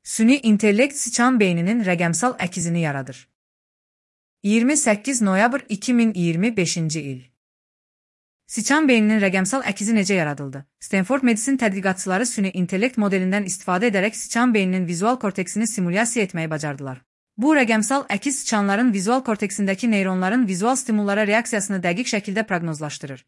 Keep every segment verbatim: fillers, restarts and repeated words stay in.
Süni intellekt sıçan beyninin rəqəmsal əkizini yaradır. iyirmi səkkiz noyabr iki min iyirmi beşinci il. Sıçan beyninin rəqəmsal əkizi necə yaradıldı? Stanford Medicine tədqiqatçıları süni intellekt modelindən istifadə edərək sıçan beyninin vizual korteksini simulyasiya etməyi bacardılar. Bu rəqəmsal əkiz sıçanların vizual korteksindəki neyronların vizual stimullara reaksiyasını dəqiq şəkildə proqnozlaşdırır.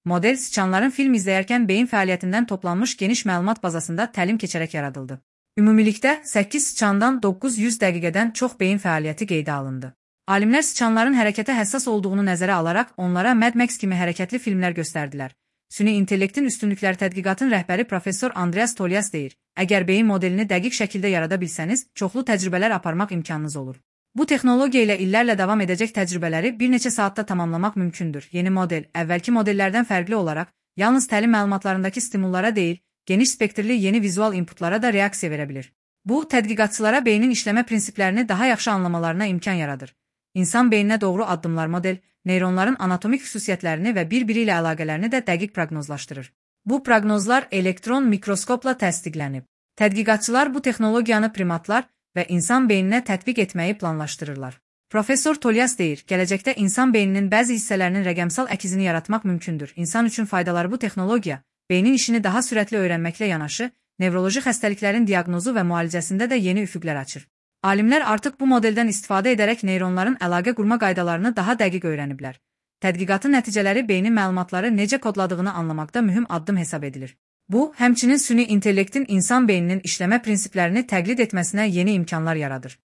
Model sıçanların film izləyərkən beyin fəaliyyətindən toplanmış geniş məlumat bazasında təlim keçərək yaradıldı. Ümumilikdə səkkiz sıçandan doqquz yüz dəqiqədən çox beyin fəaliyyəti qeydə alındı. Alimlər sıçanların hərəkətə həssas olduğunu nəzərə alaraq onlara Mad Max kimi hərəkətli filmlər göstərdilər. Süni intellektin üstünlükləri tədqiqatın rəhbəri professor Andreas Tolias deyir: "Əgər beyin modelini dəqiq şəkildə yarada bilsəniz, çoxlu təcrübələr aparmaq imkanınız olur. Bu texnologiya ilə illərlə davam edəcək təcrübələri bir neçə saatda tamamlamaq mümkündür." Yeni model, əvvəlki modellərdən fərqli olaraq, yalnız təlim məlumatlarındakı stimullara deyil, geniş spektrli yeni vizual inputlara da reaksiya verə bilir. Bu, tədqiqatçılara beynin işləmə prinsiplərini daha yaxşı anlamalarına imkan yaradır. İnsan beyninə doğru addımlar model, neyronların anatomik xüsusiyyətlərini və bir-biri ilə əlaqələrini də dəqiq proqnozlaşdırır. Bu proqnozlar elektron mikroskopla təsdiqlənib. Tədqiqatçılar bu texnologiyanı primatlar və insan beyninə tətbiq etməyi planlaşdırırlar. Professor Tolias deyir: "Gələcəkdə insan beyninin bəzi hissələrinin rəqəmsal əkizini yaratmaq mümkündür. İnsan üçün faydaları bu texnologiya, beynin işini daha sürətli öyrənməklə yanaşı, nevroloji xəstəliklərin diaqnozu və müalicəsində də yeni üfüqlər açır." Alimlər artıq bu modeldən istifadə edərək neyronların əlaqə qurma qaydalarını daha dəqiq öyrəniblər. Tədqiqatın nəticələri beynin məlumatları necə kodladığını anlamaqda mühüm addım hesab edilir. Bu, həmçinin süni intellektin insan beyninin işləmə prinsiplərini təqlid etməsinə yeni imkanlar yaradır.